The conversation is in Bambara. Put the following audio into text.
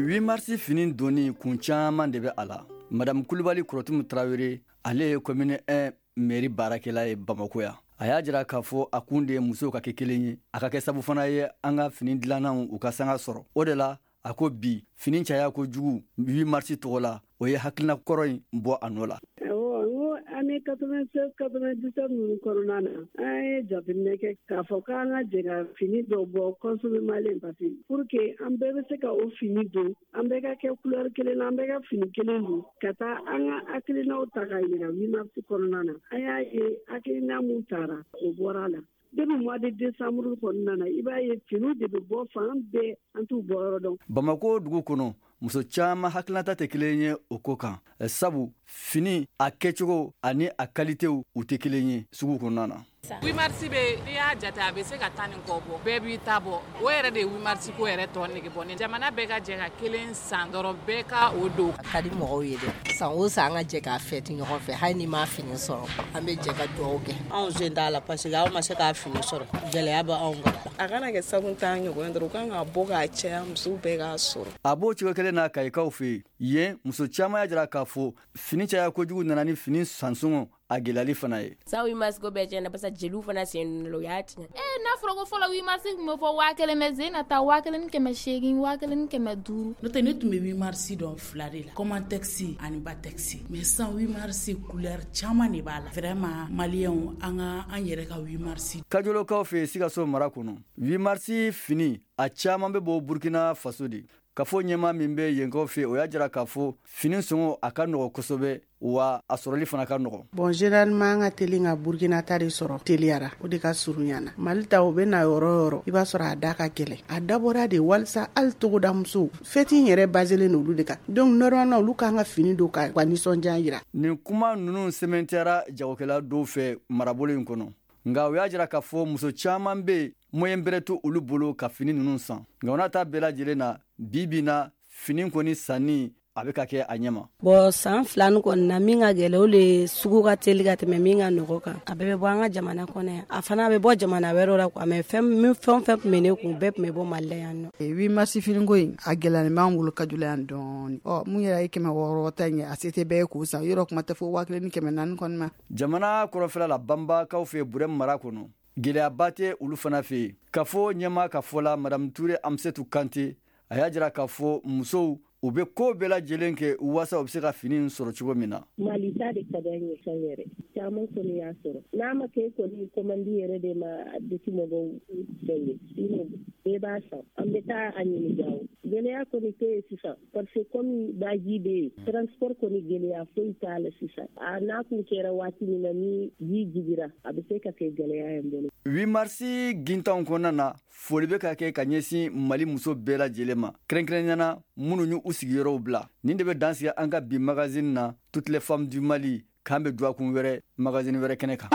8 mars fini donni kun caman de bɛ a la. Madamu Kulubali Kɔrɔtumu Tarawele, ale ye commune 1 mairie baarakɛla ye Bamako yan. A y'a jira k'a fɔ a kun de ye musow ka kɛ kelen ye, a ka kɛ sabu fana ye an ka fini dilannaw u ka sanga sɔrɔ. O de la, a ko bi fini caya kojugu 8 mars tɔgɔ la, o ye hakilina kɔrɔ in bɔ a nɔ la. Awɔ, n ko année 96 97 ninnu kɔnɔna na, an ye jateminɛ kɛ k'a fɔ k'an ka jɛ ka fini dɔ bɔ consommé malien, parce que pour que an bɛɛ bɛ se ka o fini don, an bɛɛ ka kɛ couleur kelen na, an bɛɛ ka fini kelen don, ka taa an ka hakilinaw ta ka yira 8 mars kɔnɔna na. An y'a ye hakilina mun tara, o bɔra a la. Depuis mois de décembre kɔnɔna na, i b'a ye finiw de bɛ bɔ fan bɛɛ, an t'u bɔ yɔrɔ dɔn. Bamako dugu kɔnɔ, muso caman hakilinata tɛ kelen ye o ko kan, sabu fini a kɛcogo ani a kalitew u tɛ kelen ye sugu kɔnɔna na. 8 mars bɛ, n'i y'a jate, a bɛ se ka 10 ni kɔ bɔ. Bɛɛ b'i ta bɔ. O yɛrɛ de ye 8 mars ko yɛrɛ tɔ nege bɔ. Ni jamana bɛɛ ka jɛ ka kelen san dɔrɔn, bɛɛ ka o don. A ka di mɔgɔw ye dɛ. San o san, an ka jɛ k'a fêter ɲɔgɔn fɛ. Hali ni m'a fini sɔrɔ, an bɛ jɛ ka dugawu kɛ. Anw sen t'a la, parce que anw ma se k'a fini sɔrɔ, gɛlɛya bɛ anw kan. A kana kɛ sabu t'an ɲɔgɔn dɔrɔn, u kan ka bɔ k'a caya, musow bɛɛ k'a sɔrɔ. A b'o cogo kelen na Kayikaw fɛ yen. Yen, muso caman y'a jira k'a fɔ fini caya kojugu nana ni fini sansɔngɔ a gɛlɛyali fana ye. San 8 mars ko bɛɛ tiɲɛna, barisa jeliw fana sen donna la, u y'a tiɲɛ. Ee, n'a fɔra ko fɔlɔ 8 mars tun bɛ fɔ 1000, mais sen na taa 1800, 1500. N'o tɛ, ne tun bɛ 8 mars dɔn fila de la, Comantex ani Batex, mais san 8 mars couleur caman de b'a la. Vraiment, maliyɛnw, an ka an yɛrɛ ka 8 mars. Kajolokaw fɛ yen, Sikaso mara kɔnɔ, 8 mars fini a caman bɛ bɔ Burkina Faso de. Kafo ɲɛmaa min bɛ yenkaw fɛ, o y'a jira k'a fɔ fini sɔngɔ a ka nɔgɔ kosɛbɛ, wa a sɔrɔli fana ka nɔgɔ. Bon, généralement an ka teli ka Burkina ta de sɔrɔ teliyara, o de ka surunya na. Mali ta, o bɛ na yɔrɔ o yɔrɔ, i b'a sɔrɔ a da ka gɛlɛn. A dabɔra de walisa hali togoda musow, fête in yɛrɛ baselen olu de kan. Donc normalement olu kan ka fini don ka nisɔndiya yira. Nin kuma ninnu sɛmɛntiyara jagokɛla dɔw fɛ marabolo in kɔnɔ, nka u y'a jira k'a fɔ muso caman bɛ yen, moyen bɛrɛ to olu bolo ka fini ninnu san. Nka o n'a ta bɛɛ lajɛlen na, bi bi na, fini kɔni sanni a bɛ ka kɛ a ɲɛma. Bɔn, san 2 nin kɔni na, min ka gɛlɛ, o le sugu ka teli ka tɛmɛ min ka nɔgɔ kan. A bɛɛ bɛ bɔ an ka jamana kɔnɔ yan, a fana bɛ bɔ jamana wɛrɛw la quoi, mais fɛn min, fɛn o fɛn tun bɛ ne kun, bɛɛ tun bɛ bɔ Mali la yan nɔ. 8 mars finiko in, a gɛlɛyalen b'an bolo Kajola yan dɔɔni. Ɔ, mun yɛrɛ ye 600 ta in ye, a se tɛ bɛɛ ye k'o san. Yɔrɔ kuma tɛ fo 1400 kɔni ma. Jamana kɔrɔfɛla la, Banbakaw fɛ Burɛmu mara kɔnɔ, gɛlɛyaba tɛ olu fana fɛ yen. K'a fɔ ɲɛmaa ka fɔ la, Madamu Ture Amusetu Kante, a y'a jira k'a fɔ musow u bɛ ko bɛɛ lajɛlen kɛ waasa u bɛ se ka fini in sɔrɔ cogo min na. Mali ta de ka d'an ye san yɛrɛ, caman kɔni y'a sɔrɔ. N'a ma kɛ kɔni commande yɛrɛ de ma, a bɛ mɔgɔw fɛn ye, sinon bɛɛ b'a san. An bɛ taa a ɲini Gawo. Gɛlɛya kɔni tɛ yen sisan, parce que comme baji bɛ yen, transport kɔni, gɛlɛya foyi t'a la sisan. A n'a kun kɛra waati min na ni ji jigira, a bɛ se ka kɛ gɛlɛya ye n bolo. 8 mars gintanw kɔnɔna na, foli bɛ ka kɛ ka ɲɛsin Mali muso bɛɛ lajɛlen ma, kɛrɛnkɛrɛnnenya na minnu y'u sigiyɔrɔw bila. Nin de bɛ dan sigi an ka bi magazine na, Toutes les femmes du Mali. K'an bɛ dɔgɔkun wɛrɛ, magazine wɛrɛ kɛnɛ kan.